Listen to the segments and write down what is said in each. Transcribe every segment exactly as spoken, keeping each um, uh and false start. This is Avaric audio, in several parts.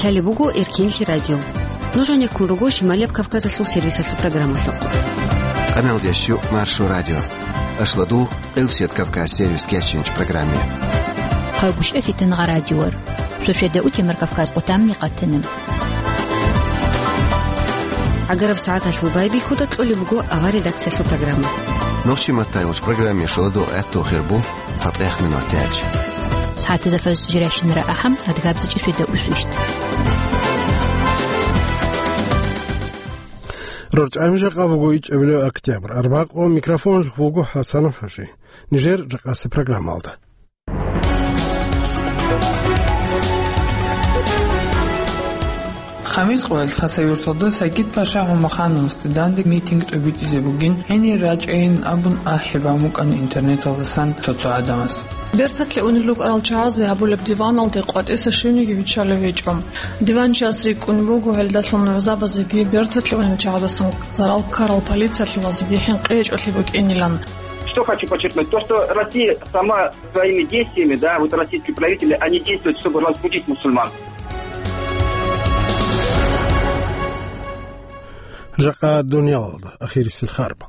Лъалеб буго Эркинлъи радио. Нуж гьанеккун руго Шималияб Кавказалъул сервисалъул программалъухъ. Къаналдеш ю Маршо радио. Ашладул Къилсият Кавказ сервис кечинч программе. Хъагушев Фитнагъа радиор. Шошеда утемар Кавказ къотамни къатана. ГӀагараб сагӀаталъул байбихьуда кьолеб буго авар редакциялъул программа. Нохчи маттайулч программе шоладул гӀатту хирбу. ЦатӀех минут тяч. СагӀатазда фарз жиращинара ахӀам, адгабзичӀи шведа усвищт. РорчӀами жакъа буго ичӀабилев октябрь, арбакъо, микрофон буго ХӀасанов ХӀажи. Нижер жакъаси программалда. Хамис къоялъ Хасавюрталда Сагид-паша ГӀумахановасде данде митинг тӀобитӀизе бугин, гьенир рачӀайин абун ахӀи бан букӀана интернеталдасан цо-цо гӀадамаз. Берталъе унел рукӀарал чагӀазе гьабулеб диваналде къватӀиса щивниги виччалев гьечӀо. Диванчияс рикӀкӀун буго гьелдалъун нугӀзабазеги берталъе унел чагӀаздасан зарал ккарал полициялъулазеги хӀинкъи гьечӀолъи букӀинилан. Что хочу подчеркнуть, то, что Россия сама своими действиями, да, вот российские правители, они действуют, чтобы разбудить мусульман. Жакъа дуниялалда ахирисел харб.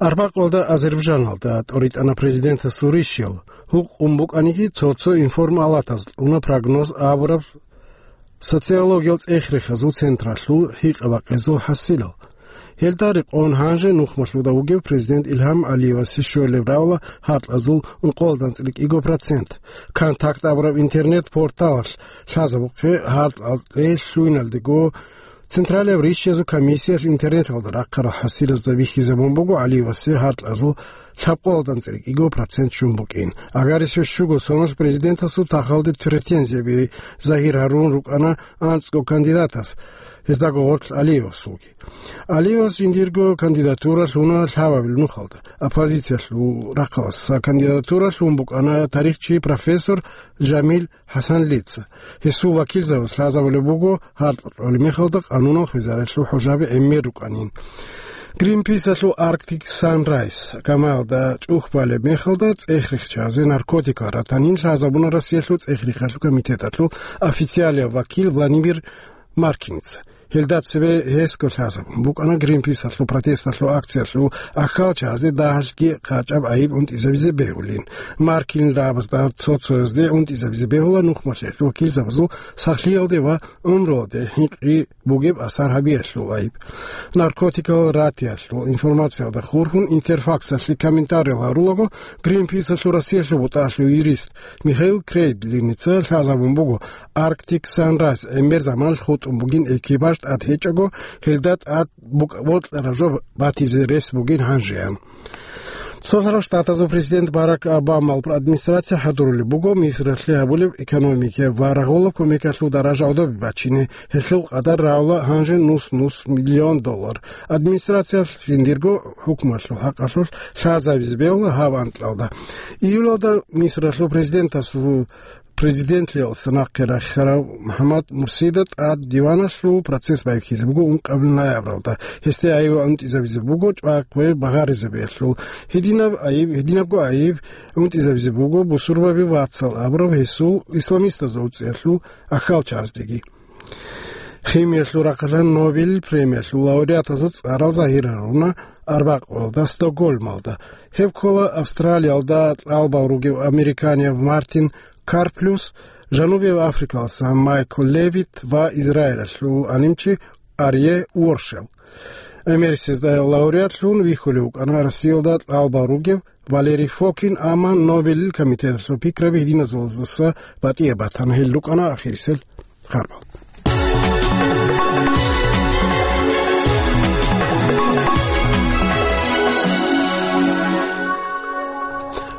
Арбакъалда Азербайджаналда тӀоритӀана президентасул ришел, гьукъун букӀаниги цо-цо информалатаз кьуна прогноз абураб социологиял цӀех-рехазул централъул гьикъа-бакъизул хӀасилал. Гьелда рекъон гьанже нухмалъуда вугев президент Илгьам Алиевасе щолеб равла гьаркьазул ункъоялда анцӀила кӀиго процент. Контакт абураб интернет-порталалъ лъазабухъе гьаркьалде лъугьиналдего Централияб ришязул комиссиялъ интернеталда рахъарал хӀасилазда бихьизабун буго Алиевасе гьаркьазул лъабкъоялда анцӀила кӀиго процент щун букӀин. Агарисеб щуго соналъ президентасул тахалде претензияби загьир гьарун рукӀана анцӀго кандидатас, гьездаго гъорлъ Алиевасулги. Алиевас жиндирго кандидатура лъуна лъабабил нухалда. Оппозициялъул рахъалъ кандидатура лъун букӀана тарихчи профессор Жамил ХӀасанлица. Гьесул вакилзабаз лъазабулеб буго гьаркьа кьолеб мехалда къанунал хвезариялъул хӀужаби гӀемер рукӀанин. Гринписалъул Arctic Sunrise камаялда чӀухӀбалеб мехалда цӀех-рехчазе наркотикал ратанин лъазабуна Россиялъул цӀех-рехалъул комитеталъул официалияв вакил Владимир Маркиница. Гьелда цебе гьесго лъазабун букӀана Гринписалъул протесталъул акциялъул ахьалчагӀазде дагьалъги къачӀаб гӀайиб унтӀизабизе бегьулин. Маркинил рагӀабазда цо-цоязде унтӀизабизе бегьула нухмалъиялъул вакилзабазул сахлъиялде ва гӀумруялде хӀинкъи бугеб асар гьабиялъул гӀайиб. Наркотикал ратиялъул информациялда хурхун Интерфаксалъе комментариял гьарулаго, Гринписалъул Россиялъул бутӀалъул юрист Михаил Крейдлиница лъазабун буго, Arctic Sunrise гӀемер заманалъ хутӀун бугин экипаж тӀад гьечӀого, гьелда тӀад букӀ-, бокьараб жо батизе рес бугин гьанжеян. Цолъарал Штатазул президент Барак Обамал администрация хӀадурулеб буго Мисралъе гьабулеб экономикияб ва рагъулаб кумекалъул даража гӀодобе бачине, гьелъул къадар равла гьанже нус-нус миллион доллар. Администрациялъ жиндирго хӀукмалъул хӀакъалъулъ лъазабизе бегьула гьаб анкьалда. Июлалда Мисралъул президентасул Президентлъиялдаса нахъе рахьарав МухӀаммад Мурсида тӀад диваналъул процесс байбихьизе буго ункъабил ноябралда. Гьесде гӀайиб унтӀизабизе буго чӀвакӀбе багъаризабиялъул. Гьединаб гӀайиб, гьединабго гӀайиб унтӀизабизе буго бусурбаби вацал абураб гьесул исламистазул цӀеялъул ахьалчагӀаздеги. Химиялъул рахъалъан Нобель премиялъул лауреатазул цӀарал загьир гьаруна арбакъуялда Стокгольмалда. Гьеб ккола Австралиялда кьалбал ругев американияб Мартин Карплюс, Жанубияб Африкалдаса Майкл Левит ва Израилалъул гӀалимчи Арье Уоршел. Эмерисезда лауреатлъун вихьулев вукӀана Россиялда кьалбал ругев Валерий Фокин, амма Нобелил комитеталъул пикраби гьединазулаздаса батӀияб батана, гьел рукӀана ахирисел харбал.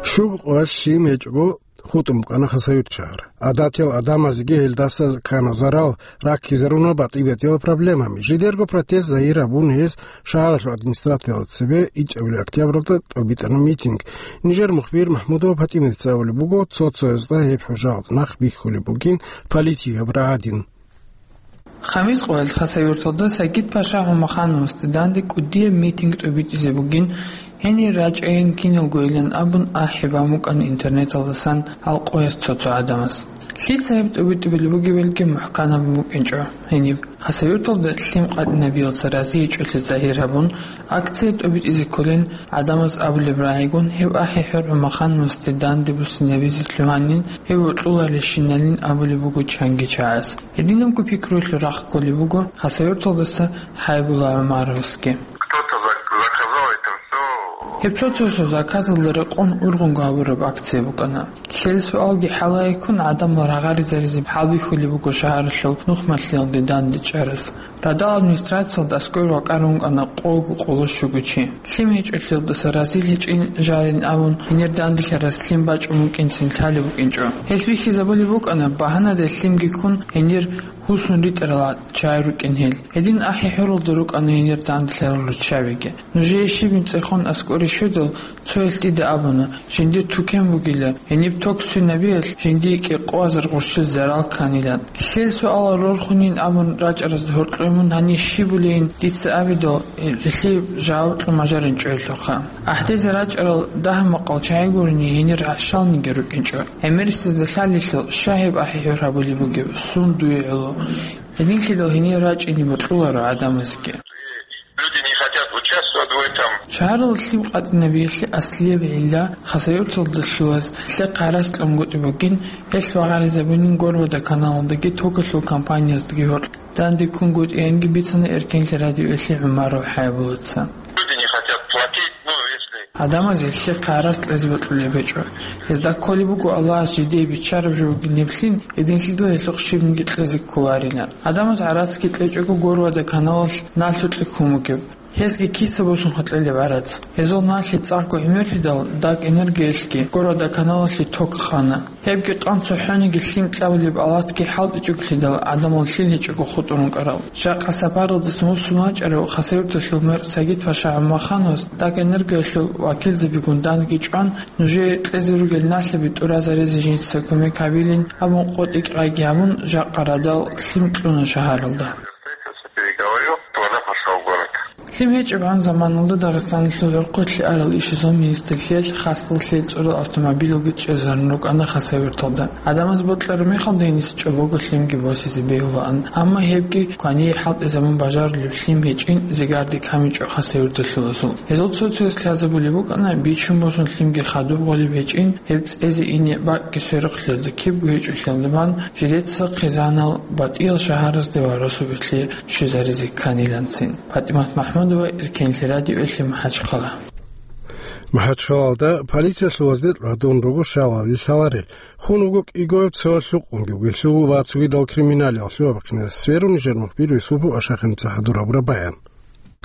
Щуго къоялъ лъим гьечӀого хутӀун букӀана Хасавюрт шагьар. ГӀадатиял гӀадамазеги гьелдаса ккана зарал, раккизаруна батӀи-батӀиял проблемами. Жидерго протест загьир гьабун гьез шагьаралъул администрациялда цебе ичӀабилеб октябралда тӀобитӀана митинг. Нижер мухбир МахӀмудова ПатӀимаца абулеб буго, цо-цоязда гьеб хӀужаялда нах бихьулеб бугин политикаб рагӀадин. Хамис къоялъ Хасавюрталда Сагид-паша ГӀумахановасде данде кӀудияб митинг тӀобитӀизе бугин, гьенир рачӀайин киналгойилан абун ахӀи бан букӀана интернеталдасан гьал къояс цо-цо гӀадамаз. Лъица гьеб тӀобитӀубилеб бугеб, гьелги мухӀканаб букӀинчӀо. Гьениб Хасавюрталда лъим къватӀинабиялца разиячӀолъи загьир гьабун, акция тӀобитӀизе кколин гӀадамаз абулеб рагӀигун, гьев АхӀи-ХӀур ГӀумахановасде данде буссинабизе лъугьанин, гьев вокьуларелщиналин абулеб буго чанги чагӀаз. Гьединабго пикруялъул рахъ кколеб буго Хасавюрталдаса Хьайбула ГӀумаровасги. Кто-то зак-, заказал это всё. Гьеб цо-цо заказалда рекъон ургъунго гьабураб акция букӀана. Лъел суалги хӀалае ккун, гӀадамал рагъаризаризе хӀалбихьулеб буго шагьаралъул нухмалъиялде данде чӀарас. Радал администрациялда аскӀор вакӀарун вукӀана къого къоло щуго чи. Лъим гьечӀолъиялдаса разил гьечӀин жарин абун, гьенир данделъарас лъим бачӀун вукӀинцин лъалеб букӀинчӀо. Гьелъ бихьизабулеб букӀана, багьанаде лъимги ккун, гьенир гьусун ритӀарал чагӀи рукӀин гьел. Гьедин АхӀи-ХӀуралда рукӀана гьенир данделъарал руччабиги. Нужее щибин цӀехон аскӀоре щведал, цояс дида абуна, жиндир тукен бугила, гьениб ток сцинабиялъ жиндие кӀикъоазар гъурщил зарал кканилан. Лъел суалал рорхунин абун рачӀаразда гьоркьоб мун гьанир щибулейин дица абидал, гьелъие жаваб кьун бажаринчӀо гьелъухъа. АхӀдезе рачӀарал дагь-макъал чагӀи гурони гьенир гьарщалниги рукӀинчӀо. ГӀемерисезда лъалелъул, щай гьеб АхӀи-ХӀур гьабулеб бугеб, сун дуе гӀоло. Гьединлъидал гьенир рачӀине бокьуларо гӀадамазги. Люди не хотят участвовать в этом. Шагьаралда лъим къватӀинабиялъе аслияб гӀилла Хасавюрталда лъугьаз лъехъ гьарац кьунгутӀи бугин, гьелъ багъаризабунин Горводоканалалдаги токалъул компанияздаги гьоркь. Данде ккунгутӀиянги бицана Эркенлъи радиоялъе ГӀумаров ХӀайбулаца. Люди не хотят платить, ну, если Гьадамаз гьелъухъ гӀарац кьезе бокьулеб гьечӀо. Гьезда кколеб буго Аллагьас жидее биччараб жо бугин гьеб лъим, гьединлъидал гьелъухъ щибниги кьезе кколарилан. Гьадамаз гӀарацги кьечӀого, Горводоканалалъ налъукье ккун бугеб. Гьезги киса босун хутӀилеб гӀарац. Гьезул налъи цӀакъго гӀемерлъидал, ДАК Энергиялъги Горводоканалалъе ток къана. Гьебги къан цохӀониги лъим кьабулеб алатги хӀалтӀичӀоглъидал, гӀадамал лъил гьечӀого хутӀун рукӀарал. Жакъа сапаралдасан вуссун вачӀарав Хасавюрталъул мэр Сагид-паша ГӀумахановас ДАК Энергиялъул вакилзабигун данги чӀван, нужее кьезе ругел налъаби тӀуразаризе жинца кумек гьабилин абун къотӀи-кьайги гьабун, жакъа радал лъим кьуна шагьаралда. Переговорю, туда пошёл в город. Лъим гьечӀебгӀан заманалда Дагъистаналъул гӀурхъулъе арал ишазул министрлъиялъ хасал лъел цӀурал автомобилалги чӀезарун рукӀана Хасавюрталда. ГӀадамаз бокьараб мехалда гьениса чӀобого лъимги босизе бегьулаан, амма гьебги квание хӀалтӀизабун бажарулеб лъим гьечӀин зигарде камичӀо хасавюрталъулазул. Гьезул цо-цояс лъазабулеб букӀана, бичун босун лъимги хадуб гъолеб гьечӀин, гьеб цӀезе ине бакӀги сверухълъиялда кибго гьечӀолъиялда бан, жидеца хъизанал батӀиял шагьаразде ва росубирлъи щвезаризе кканиланцин. ПатӀимат МахӀмудова, Эркенлъи радиоялъе, МахӀачхъала. МахӀачхъалалда полициялъулазде тӀадун руго шалал лъаларел. Хун вуго кӀиго цоял лъукъунги вугелъул ва цогидал криминалиялъул абахъине сверун нижер мухбир Юсупов Ашахиница хӀадур гьабураб баян.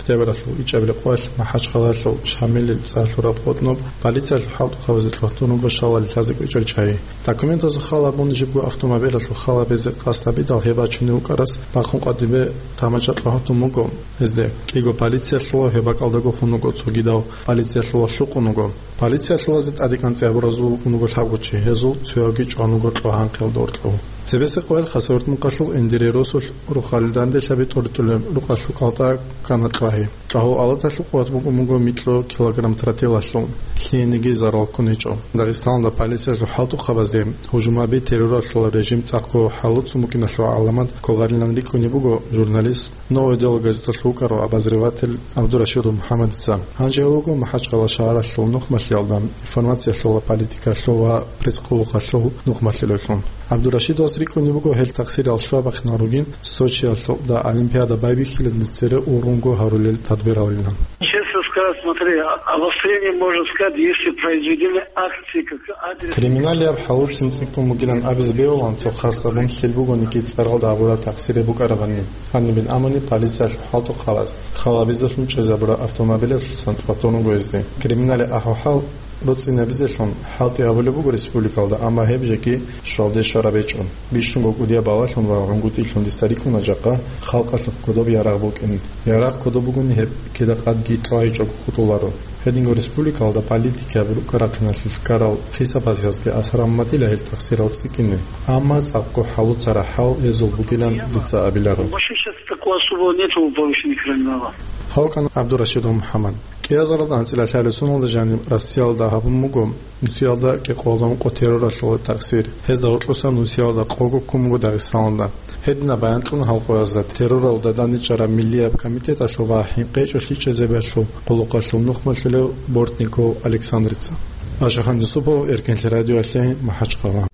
Октябралъул ичӀабилеб къоялъ МахӀачхъалалъул Шамилил цӀар лъураб къотӀноб полициялъул хӀалтӀухъабазе тӀадун руго шалал лъазе кӀвечӀел чагӀи. Документазул хал абун, жибго автомобилалъул хал гьабизе къасд гьабидал, гьеб бачунев вукӀарас бахъун къватӀибе тамашаялъ гьатун буго гьезде. КӀиго полициялъула гьеб бакӀалдаго хун вуго, цогидав полициялъула лъукъун вуго. Полициялъулазе тӀадекӀанцӀи гьабуразул вукӀун вуго лъабго чи, гьезул цоявги чӀван вуго тӀогьанкъиялда гьоркьов. Цебесеб къоялъ Хасавюрт мухъалъул Эндире росулъ рухъалил данделъаби тӀоритӀулеб рукъалъул кӀалтӀа ккана тӀагьи. ТӀагьул алаталъул къуват буго муго микьго килограмм тротилалъул, лъиениги зарал ккун гьечӀо. Дагъистаналда полициялъул хӀалтӀухъабазде гьужумаби, терроралъул режим цӀакъго хӀалуцун букӀиналъул гӀаламат кколарилан рикӀкӀунеб буго журналист, «Новое дело» газеталъ вукӀарав обозреватель ГӀабдурашидов МухӀаммадица. Гьанже гьев вуго МахӀачхъала шагьаралъул нухмалъиялда информациялъул, политикалъул ва пресс-къулухъалъул нухмалъулевлъун. ГӀабдурашидовас рикӀкӀунеб буго гьел тахсирал щвабахъинал ругин Сочиялъул да Олимпиада байбихьилалде цере ургъунго гьарулел тадбиралилан. Честно сказать, смотри, а-, обострение, можно сказать, если произведены акции, как адрес. Криминалияб хӀалуцин цӀикӀкӀун бугилан абизе бегьулаан, цо хас абун лъил бугониги цӀаралда гьабураб тахсире букӀарабани. Гьанибин амуни полициялъул хӀалтӀухъабаз хал гьабизелъун чӀезабураб автомобилалъусан тӀватун вуго гьезде. Криминалияб ахӀвал-хӀал руцӀцӀинабизелъун хӀалтӀи гьабулеб буго республикалда, амма гьеб жеги щвалде щвараб гьечӀо. Бищунго кӀудияб балалъун ва гӀунгутӀилъун дица рикӀкӀуна жакъа халкъалъухъ кодоб ярагъ букӀин. Ярагъ кодоб бугони, гьеб кида-къадги тӀвай чӀого хутӀуларо. Гьединго республикалда политикаби рукӀа-рахъиналъулъ ккарал хисабазеги асар гьабун батила гьел тахсирал цӀикӀкӀине. Амма цӀакъго хӀалуцараб хӀал гьезул бугилан дица абиларо. Вообще сейчас такого особого нету повышения криминала. Гьав вукӀана ГӀабдурашидов МухӀаммад. КӀиазаралда анцӀила лъалеб соналда жаниб Россиялда гьабун буго нусиялда кӀикъоялда ункъо терроралъул такъсир. Гьезда гьоркьосан нусиялда къого ккун буго Дагъистаналда. Гьединаб баян кьуна гьал къоязда терроралда данде чӀараб миллияб комитеталъул ва хӀинкъичӀолъи чӀезабиялъул къуллукъалъул нухмалъулев Бортников Александрица. Ашахан Юсупов, Эркенлъи радиоялъе, МахӀачхъала.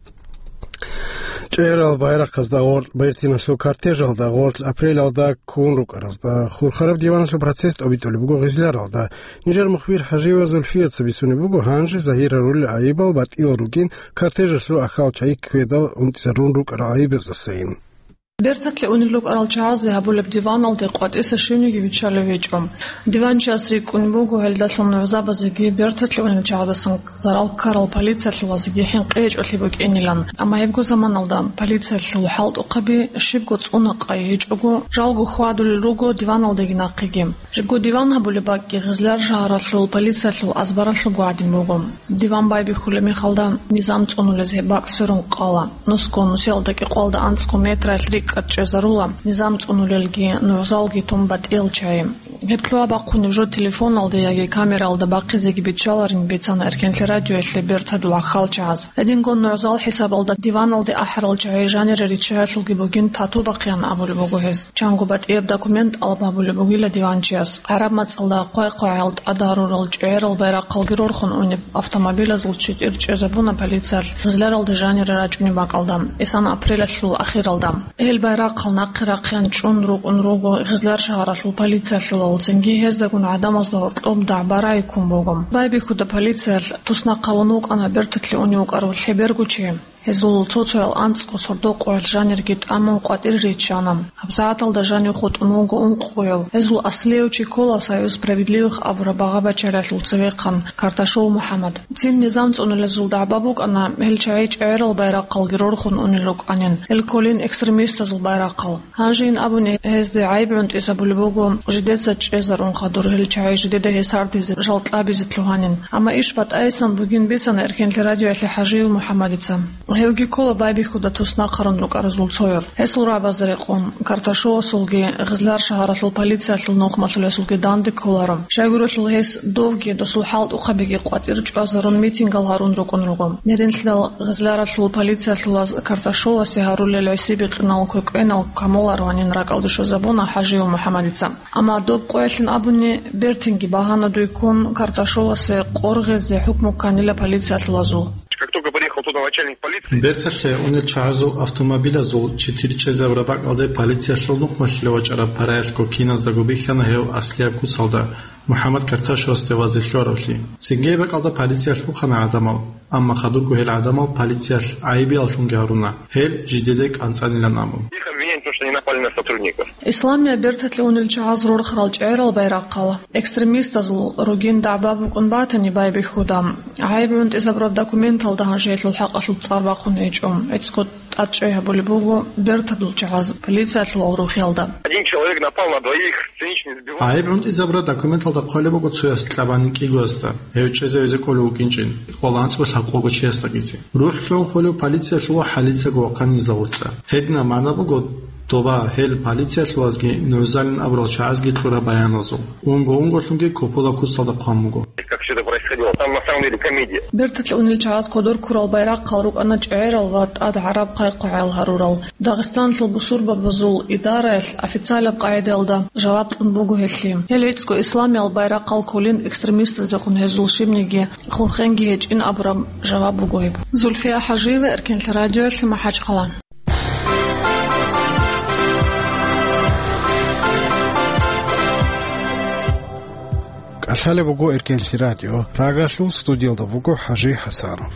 ЧӀегӀерал байрахъазда гъоркь бертиналъул кортежалда гъоркь апрелалда ккун рукӀаразда хурхараб диваналъул процесс тӀобитӀулеб буго Гъизляралда. Нижер мухбир ХӀажиева Зульфияца бицунеб буго гьанже загьир гьарулел гӀайибал батӀиял ругин кортежалъул ахал чагӀи ккведал унтӀизарун рукӀарал гӀайибаздасайин. Берталъе унел рукӀарал чагӀазе гьабулеб диваналде къватӀиса щивниги виччалев гьечӀо. Диванчияс рикӀкӀунеб буго гьелдалъун нугӀзабазеги берталъе унел чагӀаздасан зарал ккарал полициялъулазеги хӀинкъичӀолъи букӀинилан, амма гьебго заманалда полициялъул хӀалтӀухъаби щибго цӀуна-къай гьечӀого, жалго хьвадулел руго диваналдеги нахъеги. Жибго диван гьабулеб бакӀги Гъизляр шагьаралъул полициялъул азбаралъулго гӀадин буго. Диван байбихьулеб мехалда низам цӀунулез гьеб бакӀ сверун къала. Нусго нусиялда кӀикъоялда анцӀго метралъ рикӀкӀад чӀезарула, низам цӀунулелги нугӀзалги тун батӀиял чагӀи. Гьеб лъугьа-бахъунеб жо телефоналда яги камералда бахъизеги биччаларин бицана Эркенлъи радиоялъе бертадул ахал чагӀаз. Гьединго нугӀзал хӀисабалда диваналде ахӀарал чагӀи жанире риччаялъулги бугин тату бахъеян абулеб буго гьез. Чанго батӀияб документ тӀалаб гьабулеб бугила диванчияс. ГӀараб мацӀалда хъвай-хъвагӀал тӀад гьарурал чӀегӀерал байрахъалги рорхун унеб автомобилазул читӀир чӀезабуна полициялъ Гъизляралда жанире рачӀунеб бакӀалда, эсан апрелалъул ахиралда. Гьел байрахъал нахъе рахъеян чӀун рукӀун руго Гъизляр шагьаралъул полициялъулал, цинги гьездагун гӀадамазда гьоркьоб дагӀба-рагӀи ккун буго. Байбихьуда полициялъ туснахъ гьавун вукӀана берталъе унев вукӀарав лъеберго чи. Гьезул цо-цоял анцӀго сордо-къоялъ жанирги тӀамун къватӀире риччана. ГьабсагӀаталда жанив хутӀун вуго ункъгояв. Гьезул аслияв чи ккола «Союз справедливых» абураб багъа-бачаралъул цевехъан Карташов МухӀаммад. Цин низам цӀунулезул дагӀба букӀана, гьел чагӀи чӀегӀерал байрахъалги рорхун унел рукӀанин, гьел кколин экстремистазул байрахъал. Гьанжейин абуни, гьезде гӀайиб гӀунтӀизабулеб буго, жидеца чӀезарун хадур гьел чагӀи жидеда гьесардизе, жал кьабизе лъугьанин. Амма иш батӀайсан бугин бицана Эркенлъи радиоялъе ХӀажиев МухӀаммадица. Гьевги ккола байбихьуда туснахъарун рукӀаразул цояв. Гьесул рагӀабазда рекъон, Карташовасулги Гъизляр шагьаралъул полициялъул нухмалъулесулги данде кколаро. Щайгурелъул гьес довги досул хӀалтӀухъабиги къватӀир чӀвазарун митингал гьарун рукӀун руго. Гьединлъидал Гъизляралъул полициялъулаз Карташовасе гьарулел гӀиси-бикъинал квекӀенал камолароанин ракӀалде щвезабуна ХӀажиев МухӀаммадица. Амма доб къоялъин абуни, бертинги багьана дуй ккун, Карташовасе къоргъезе хӀукму кканила полициялъулазул. Как только приехал туда начальник полиции. Берталъе унел чагӀазул автомобилазул читир чӀезабураб бакӀалде полициялъул нухмалъулев вачӀараб параялъго киназдаго бихьана гьев аслияб куцалда, МухӀаммад Карташовасде вазе лъугьаравлъи. Цинги гьеб бакӀалда полициялъ бухана гӀадамал, амма хадурго гьел гӀадамал полициялъ гӀайибияллъунги гьаруна, гьел жидеде кӀанцӀанилан абун. Их обвинение, то, что они напали на сотрудников. Исламияб берталъе унел чагӀаз рорхарал чӀегӀерал байрахъал экстремистазул ругин дагӀба букӀун батани байбихьуда, гӀайиб гӀунтӀизабураб документалда гьанжеялъул хӀакъалъулъ цӀар бахъун гьечӀо. ГӀицӀго тӀадчӀей гьабулеб буго бертадул чагӀаз полициялъулал рухӀиялда. Один человек напал на двоих, женщин избивал. ГӀайиб гӀунтӀизабураб документалда хъвалеб буго цояс кьабанин кӀигоясда, гьев чӀезавизе кӀолев вукӀинчӀин, къваланцӀго лъабкъого чиясдагизе. РухӀлъун хвалев полициялъул ва хӀалицаго вахъанин загьурлъа. Гьединаб магӀна буго, доба гьел полициялъулазги нугӀзалин абурал чагӀазги кьураб баяналзул. Унго-унголъунги копула куцалда хъван буго. Как всё это происходило? Там на самом деле комедия. Берталъе унел чагӀаз кодор ккурал байрахъал рукӀана чӀегӀерал ва тӀад гӀараб хъай-хъвагӀал гьарурал. Дагъистаналъул бусурбабазул идараялъ официалаб къагӀидаялда жаваб кьун буго гьелъие. Гьел гӀицӀго исламиял байрахъал кколин экстремистазехун гьезул щибниги хурхенги гьечӀин абураб жаваб буго гьеб. Зульфия ХӀажиева, Эркенлъи радиоялъе, МахӀачхъала. КӀалъалеб буго Эркенлъи радио. Прагалъул студиялда вуго ХӀажи ХӀасанов.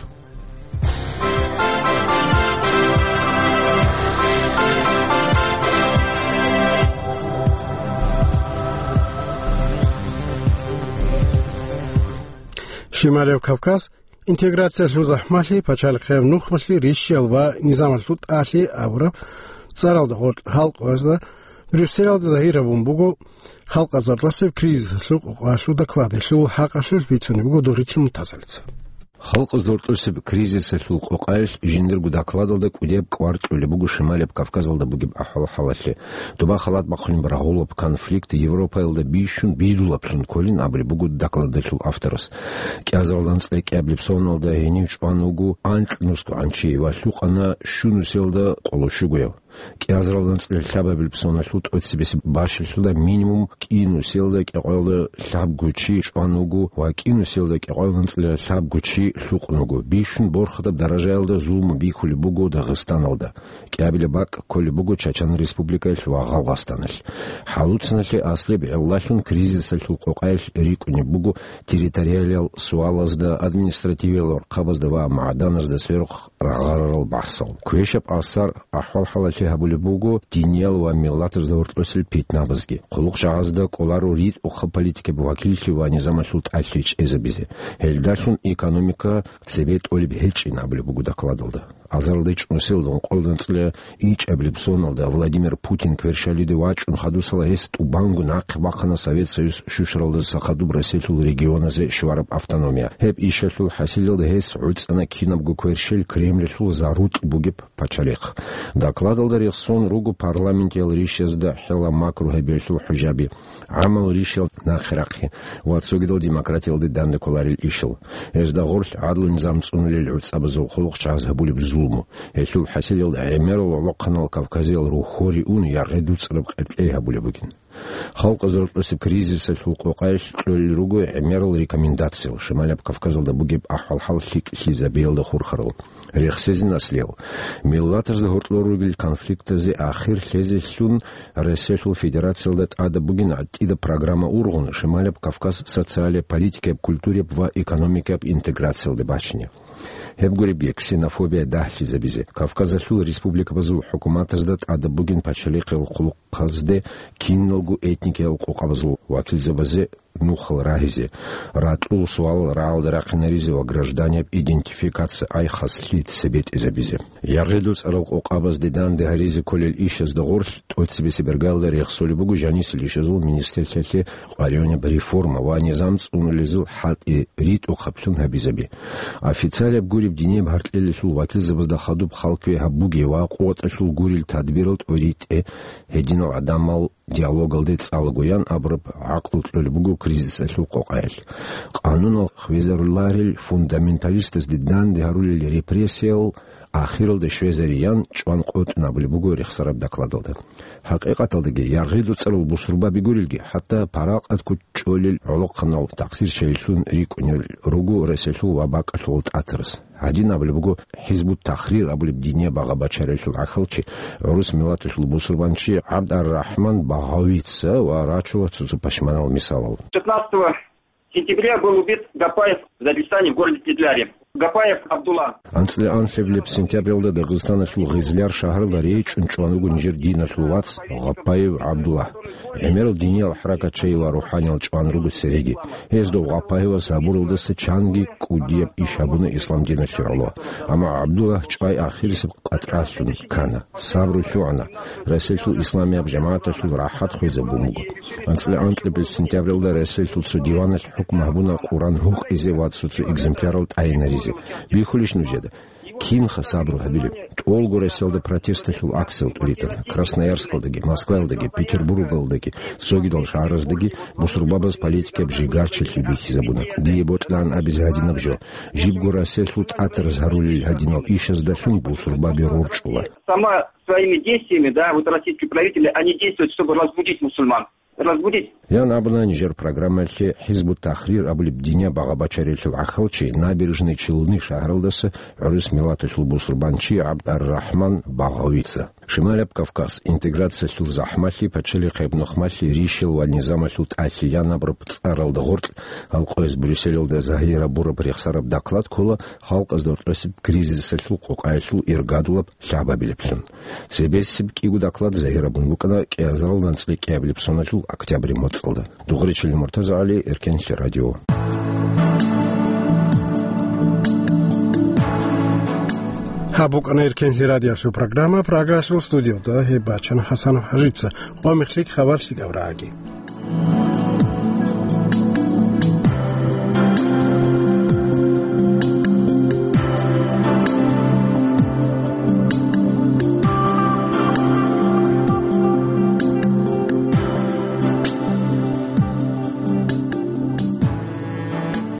Шималев Кавказ интеграциялъул захӀмалъи, пачалихъияб нухмалъи, рищиял ва низамалъул тӀалъи абураб цӀаралда гъоркь халкъазда Брюсселалда загьир гьабун буго халкъазардлъасеб кризисалъул къокъоялъул докладалъул хӀакъалъулъ бицунеб буго Доричил Мутазалица. Халкъазда гьоркьосеб кризисалъул къокъаялъ жиндирго докладалда кӀудияб кӀвар кьолеб буго Шималияб Кавказалда бугеб ахӀвал-хӀалалъе. Доба халат бахъунеб рагъулаб конфликт Европаялда бищун бедулаблъун кколин абулеб буго докладалъул авторас. КӀиазаралда анцӀила кӀиабилеб соналда гьенив чӀван вуго анкь нусгогӀанчи ва лъукъана щунусиялда къоло щугояв. КӀиазаралда анцӀила лъабабилеб соналъул тӀоцебесеб бащалъуда минимум кӀинусиялда кӀикъоялда лъабго чи чӀван вуго ва кӀинусиялда кӀикъоялда анцӀила лъабго чи лъукъун вуго. Бищун борхатаб даражаялда зулму бихьулеб буго Дагъистаналда. КӀиабилеб бакӀ кколеб буго Чачан Республикаялъ ва Гъалгъастаналъ. ХӀалуцаналъе аслияб гӀиллалъун кризисалъул къокъаялъ рикӀкӀунеб буго территориалиял суалазда, административиял гӀурхъабазда ва магӀданазда сверухъ рагъарарал бахӀсал. Квешаб асар ахӀвал-хӀалалъе гьабулеб буго диниял ва миллатазда гьоркьосел питнабазги. Хъулухъ жагьазда кӀоларо ритӀухъаб политикаб вакиллъи ва низамалъул тӀалъи чӀезабизе. Гьелдалъун экономика цебе тӀолеб гьечӀин абулеб буго докладалда. Азаралда ичӀнусиялда ункъоялда анцӀила ичӀабилеб соналда Владимир Путин кверщалиде вачӀун хадусала гьес тӀубанго нахъе бахъана Совет Союз щущаралдаса хадуб Россиялъул регионазе щвараб автономия. Гьеб ишалъул хӀасилалда гьес гӀуцӀана кинабго кверщел Кремльалъул зарутӀ бугеб пачалихъ. Докладалда рехсон руго парламентиял ришазда хӀела макру гьабиялъул хӀужаби, гӀамал ришал нахърахъи ва цогидал демократиялде данде кколарел ишал. Гьезда гъорлъ гӀадлу-низам цӀунулел гӀуцӀабазул хъулухъ чагӀаз гьабулеб зулму, гьелъул хӀасилалда гӀемерал гӀолохъанал Кавказиял рухьоре ун яргъи дуцӀараб къеркьей гьабулеб бугин. Халкъазда гьоркьосеб кризисалъул къокъаялъ кьолел руго гӀемерал рекомендациял Шималияб Кавказалда бугеб ахӀвал-хӀал лъикӀлъизабиялда хурхарал. Рехсезин аслиял. Миллатазда гьоркьор ругел конфликтазе ахир лъезелъун Россиялъул Федерациялда тӀадаб бугин гӀатӀида программа ургъун Шималияб Кавказ социалияб, политикаяб, культураяб ва экономикаяб интеграциялде бачине. Гьеб гуребги, ксенофобия дагьлъизабизе, Кавказалъул республикабазул хӀукуматазда тӀадаб бугин пачалихъал хъулухъазде киналго этникиял къокъабазул вакилзабазе нухал рагьизе, ракьул суалал рагӀалда рахъинаризе ва гражданияб идентификация, ай хаслъи, цебетӀезабизе. Яргъи дуцӀарал къокъабазде данде гьаризе кколел ишазда гъорлъ тӀоцебесеб иргаялда рехсолеб буго жанисел ишазул министрлъиялъе къваригӀунеб реформа ва низам цӀунулезул хӀалтӀи ритӀухъаблъун гьабизаби. Официалияб гуреб динияб гьаркьелалъул вакилзабазда хадуб халкве гьабуге ва къуваталъул гурел тадбирал тӀоритӀе, гьединал гӀадамал диалогалде цӀалагоян абураб гӀакълу кьолеб буго кризисалъул къокъаялъ. Къанунал хвезаруларел фундаменталистазде данде гьарулел репрессиял ахиралда щвезариян чӀван къотӀун абулеб буго рехсараб докладалда. ХӀакъикъаталдаги, яргъи дуцӀарал бусурбаби гурелги, хӀатта паракъат кучӀолел гӀолохъанал такъсирчайилъун рикӀкӀунел руго Россиялъул ва бакӀалъулал тӀатарас. Гьадин абулеб буго ХӀизбут-Тахрир абулеб динияб багъа-бачаралъул гӀахьалчи, гӀурус миллаталъул бусурбанчи ГӀабд ар-Рахман Багъавица ва рачула цо-цо пашманал мисалал. Пятнадцатого сентября был убит Гапаев в Дагестане, в городе Кизляре. Гапаев Абдулла. АнцӀила анлъабилеб сентябралда Дагъистаналъул Гъизляр шагьаралда речӀчӀун чӀван вуго нижер диналъул вац Гъаппаев ГӀабдулла. ГӀемерал диниял хӀаракатчи ва рухӀаниялъ чӀван руго цереги. Гьез дов Гъаппаевас гьабуралдаса чанги кӀудияб иш гьабуна ислам диналъе гӀоло. Амма ГӀабдулла чӀвай ахирисеб къатӀралъун ккана. Сабру лъугӀана. Россиялъул исламияб жамагӀаталъул рахӀат хвезабун буго. АнцӀила анкьабилеб сентябралда Россиялъул цо диваналъ хӀукму гьабуна Къуран гьукъизе ва цо-цо экземплярал тӀайинаризе. Бихьулищ нужеда? Кинха сабру гьабилеб? ТӀолго Россиялда протесталъул акциял тӀуритана. Красноярскалдаги, Москваялдаги, Петербургалдаги, цогидал шагьараздаги бусурбабаз политикаб жигарчилъи бихьизабуна. Дие бокьаан абизе гьадинаб жо. Жибго Россиялъул тӀатараз гьарулел гьадинал ишаздалъун бусурбаби рорчӀула. Сама своими действиями, да, вот российские правители, они действуют, чтобы разбудить мусульман. Разбудить. Ян абуна нижер программалъе ХӀизбут-Тахрир абулеб динияб багъа-бачаралъул гӀахьалчи, Набережный Челны шагьаралдаса гӀурус миллаталъул бусурбанчи ГӀабд ар-Рахман Багъавица. Шималаб Кавказ, интеграциялъул захӀмалъи, пачалихъ гьеб нухмалъи, ришал ва низамалъул тӀалъи ян абураб цӀаралда гъоркь, гьал къояз Брюсселалда загьирабураб рехсараб доклад ккола халкъазда гьоркьосеб кризисалъул къокъаялъул иргадулаб лъабабилеблъун. Цебесеб кӀиго доклад загьирабун букӀана кӀиазаралда анцӀила кӀиабилеб соналъул октябрь моцӀалда. Дугъричилин МуртазагӀали, Эркенлъи радио. Гьаб букӀана Эркенлъи радиолъул программа, Прагаялъул студиялда гьеб бачана ХӀасан ХӀажица. Къо мехлъи хабар лъикӀаб рагӀаги.